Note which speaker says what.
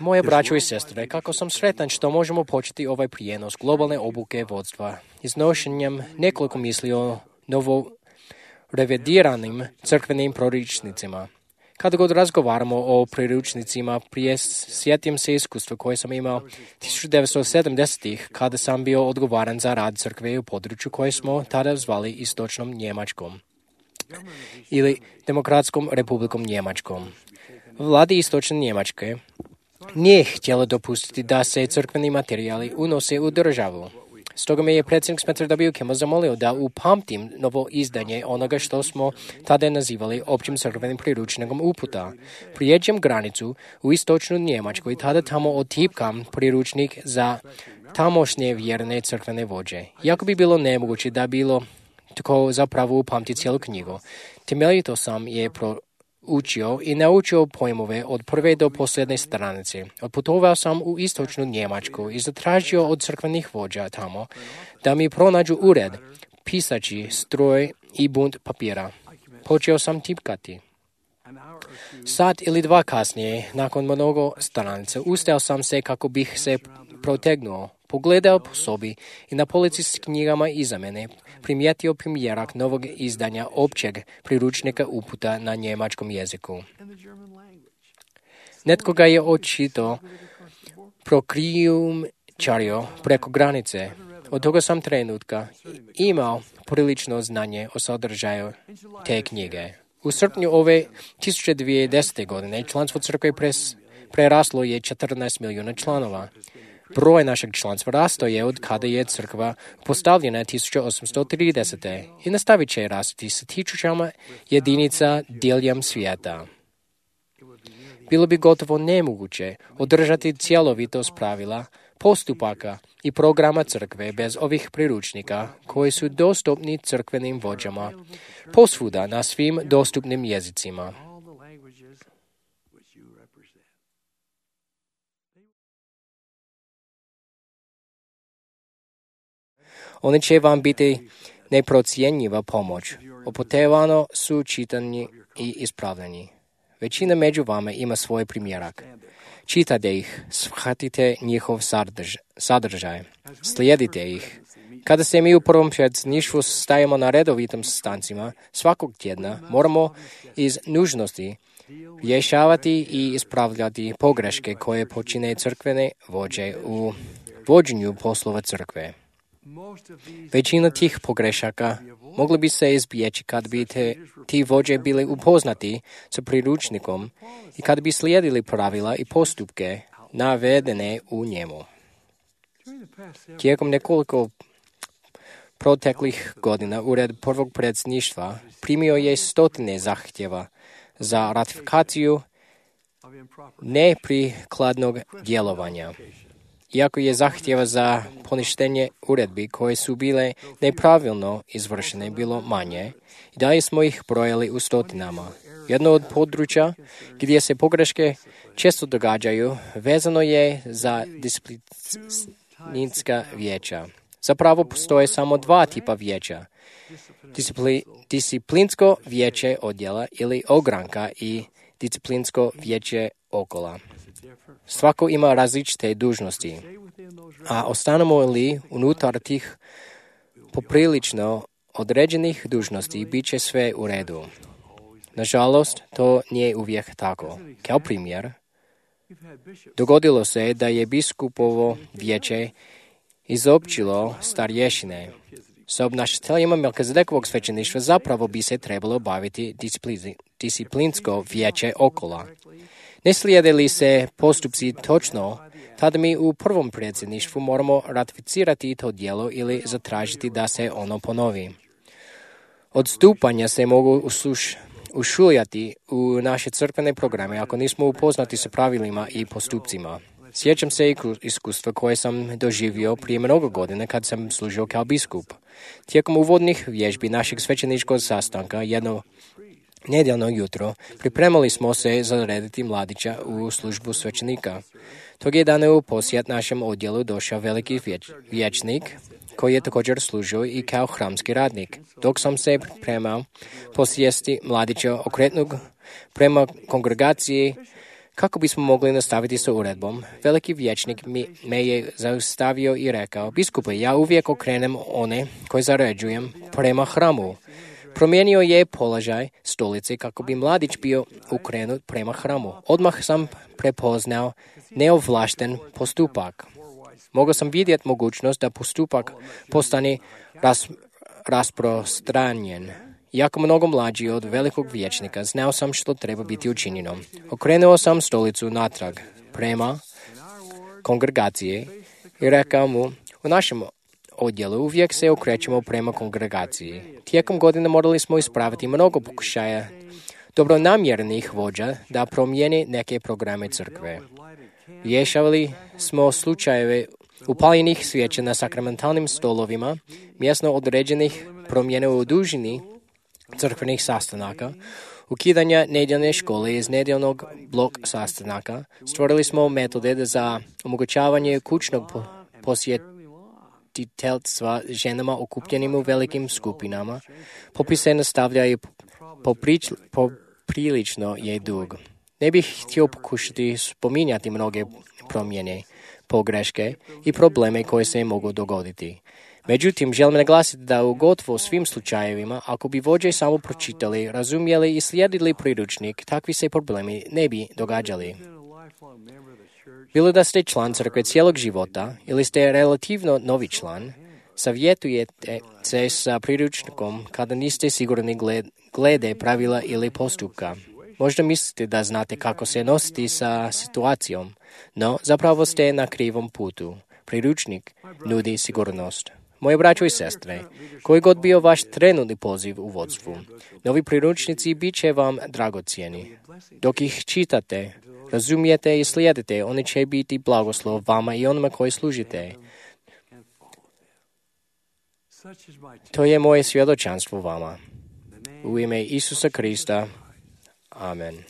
Speaker 1: Moje braćo i sestre, kako sam sretan što možemo početi ovaj prijenos globalne obuke vodstva iznošenjem nekoliko misli o novo revidiranim crkvenim priručnicima. Kada god razgovaramo o priručnicima, prije sjetim se iskustva koje sam imao 1970-ih kada sam bio odgovoran za rad crkve u području koje smo tada zvali Istočnom Njemačkom ili Demokratskom republikom Njemačkom. Vladi Istočne Njemačke nije htjela dopustiti da se crkveni materijali unose u državu. Stoga me je predsjednik Spencer W. Kimball zamolio da upamtim novo izdanje onoga što smo tada nazivali općim crkvenim priručnikom uputa. Prijeđem granicu u Istočnu Njemačku i tada tamo otipkam priručnik za tamošnje vjerne crkvene vođe. Iako bi bilo nemoguće da bilo tako zapravo upamti cijelu knjigu, temeljito sam je učio i naučio pojmove od prve do posljednje stranice. Otputovao sam u Istočnu Njemačku i zatražio od crkvenih vođa tamo da mi pronađu ured, pisači, stroj i bunt papira. Počeo sam tipkati. Sat ili dva kasnije, nakon mnogo stranica, ustao sam se kako bih se protegnuo, pogledao po sobi i na polici s knjigama iza mene primijetio primjerak novog izdanja općeg priručnika uputa na njemačkom jeziku. Netko ga je očito prokrijumčario preko granice. Od toga sam trenutka imao prilično znanje o sadržaju te knjige. U srpnju ove 1910. godine članstvo crkve preraslo je 14 milijuna članova. Broj našeg članstva rastao je od kada je crkva postavljena 1830. i nastavit će rasti sa tisućama jedinica diljem svijeta. Bilo bi gotovo nemoguće održati cjelovitost pravila, postupaka i programa crkve bez ovih priručnika koji su dostupni crkvenim vođama posvuda na svim dostupnim jezicima. Oni će vam biti neprocjenjiva pomoć. Opotevano su čitani i ispravljeni. Većina među vama ima svoj primjerak. Čitate ih, shvatite njihov sadržaj, slijedite ih. Kada se mi u prvom predsjedništvu stajemo na redovitim sastancima, svakog tjedna moramo iz nužnosti rješavati i ispravljati pogreške koje počine crkvene vođe u vođenju poslova crkve. Većina tih pogrešaka mogla bi se izbjeći kad bi ti vođe bili upoznati sa priručnikom i kad bi slijedili pravila i postupke navedene u njemu. Tijekom nekoliko proteklih godina Ured prvog predsjedništva primio je stotine zahtjeva za ratifikaciju neprikladnog djelovanja. Iako je zahtjeva za poništenje uredbi koje su bile nepravilno izvršene bilo manje, i dalje smo ih brojali u stotinama. Jedno od područja gdje se pogreške često događaju vezano je za disciplinska vijeća. Zapravo postoje samo dva tipa vijeća. Disciplinsko vijeće odjela ili ogranka i disciplinsko vijeće okola. Svako ima različite dužnosti, a ostanemo li unutar tih poprilično određenih dužnosti, bit će sve u redu. Nažalost, to nije uvijek tako. Kao primjer, dogodilo se da je biskupovo vijeće izopćilo starješine. Sa obnašateljima Melkizedekovog svećeništva zapravo bi se trebalo baviti disciplinsko vijeće okola. Ne slijede li se postupci točno, tada mi u prvom predsjedništvu moramo ratificirati to djelo ili zatražiti da se ono ponovi. Odstupanja se mogu ušuljati u naše crkvene programe ako nismo upoznati sa pravilima i postupcima. Sjećam se iskustva koje sam doživio prije mnogo godina kad sam služio kao biskup. Tijekom uvodnih vježbi našeg svećeničkog sastanka jedno nedjeljno jutro pripremali smo se zarediti mladića u službu svećenika. Tog je dana u posjet našem odjelu došao veliki vijećnik koji je također služio i kao hramski radnik. Dok sam se pripremao posjesti mladića okretnog prema kongregaciji kako bismo mogli nastaviti sa uredbom. Veliki vijećnik me je zaustavio i rekao: biskupe, ja uvijek okrenem one koje zaređujem prema hramu. Promijenio je položaj stolice kako bi mladić bio ukrenut prema hramu. Odmah sam prepoznao neovlašten postupak. Mogao sam vidjeti mogućnost da postupak postane rasprostranjen. Iako mnogo mlađi od velikog vijećnika, znao sam što treba biti učinjeno. Okrenuo sam stolicu natrag prema kongregaciji i rekao mu: u našem odjelu uvijek se okrećemo prema kongregaciji. Tijekom godina morali smo ispraviti mnogo pokušaja dobronamjernih vođa da promijeni neke programe crkve. Rješavali smo slučajeve upaljenih svijeća na sakramentalnim stolovima, mjesno određenih promjena u dužini crkvenih sastanaka, ukidanja nedjeljne škole iz nedjeljnog blok sastanaka. Stvorili smo metode za omogućavanje kućnog posjetiteljstva ženama okupljenim u velikim skupinama. Popis se nastavlja i poprilično je dug. Ne bih htio pokušati spominjati mnoge promjene, pogreške i probleme koje se mogu dogoditi. Međutim, želim naglasiti da u gotovo svim slučajevima, ako bi vođe samo pročitali, razumjeli i slijedili priručnik, takvi se problemi ne bi događali. Bilo da ste član crkve cijelog života ili ste relativno novi član, savjetujete se sa priručnikom kada niste sigurni glede pravila ili postupka. Možda mislite da znate kako se nositi sa situacijom, no zapravo ste na krivom putu. Priručnik nudi sigurnost. Moje braćo i sestre, koji god bio vaš trenutni poziv u vodstvu, novi priručnici bit će vam dragocjeni. Dok ih čitate, razumijete i slijedite, oni će biti blagoslov vama i onima koji služite. To je moje svjedočanstvo vama. U ime Isusa Krista. Amen.